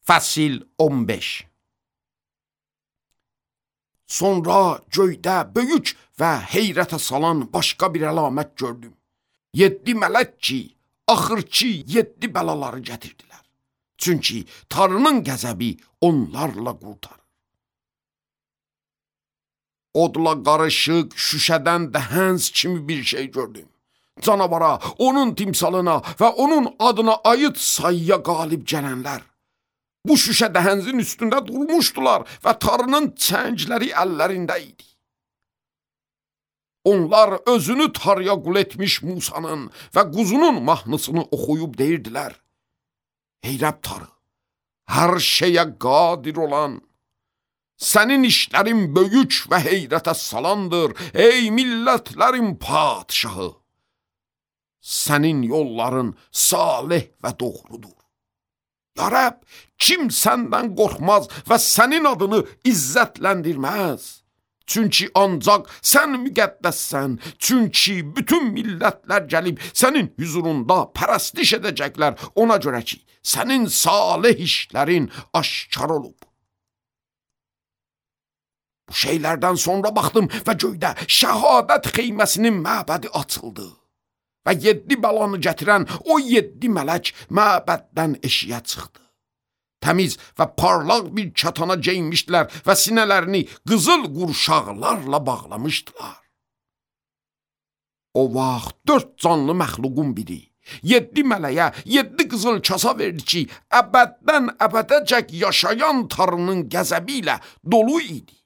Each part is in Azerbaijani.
Fəsil 15. Sonra göydə böyük və heyrətə salan başqa bir əlamət gördüm. 7 mələk ki, axırki 7 bəlaları gətirdilər. Çünki Tanrının qəzəbi onlarla qurtarır. Odla qarışıq, şüşədən dəhənz kimi bir şey gördüm. Canavara, onun timsalına və onun adına aid sayıya qalib gələnlər bu şüşə dəhənzin üstündə durmuşdular və Tanrının çəngləri əllərində idi. Onlar özünü Tanrıya qul etmiş Musanın və quzunun mahnısını oxuyub deyirdilər: Ey Rəbb Tanrı, hər şeyə qadir olan, sənin işlərin böyük və heyrətə salandır, ey millətlərin padişahı. Sənin yolların salih və doğrudur. Ya Rəbb, kim səndən qorxmaz və sənin adını izzətləndirməz? Çünki ancaq sən müqəddəssən, çünki bütün millətlər gəlib sənin hüzurunda pərəstiş edəcəklər, ona görə ki, sənin salih işlərin aşkar olub. Bu şeylərdən sonra baxdım və göydə şəhadət xeyməsinin məbədi açıldı. Və 7 bəlanı gətirən o 7 mələk məbəddən eşiyə çıxdı. Təmiz və parlaq bir katana geyinmişdilər və sinələrini qızıl qurşaqlarla bağlamışdılar. O vaxt 4 canlı məxluqun biri 7 mələyə 7 qızıl kasa verdi ki, əbəddən əbədəcək yaşayan Tanrının qəzəbi ilə dolu idi.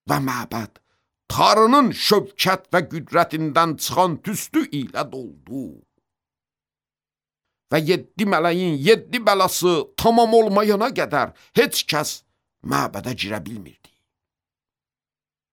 Və məbəd Tanrının şövkət və qüdrətindən çıxan tüstü ilə doldu. Və 7 mələyin 7 bəlası tamam olmayana qədər heç kəs məbədə girə bilmirdi.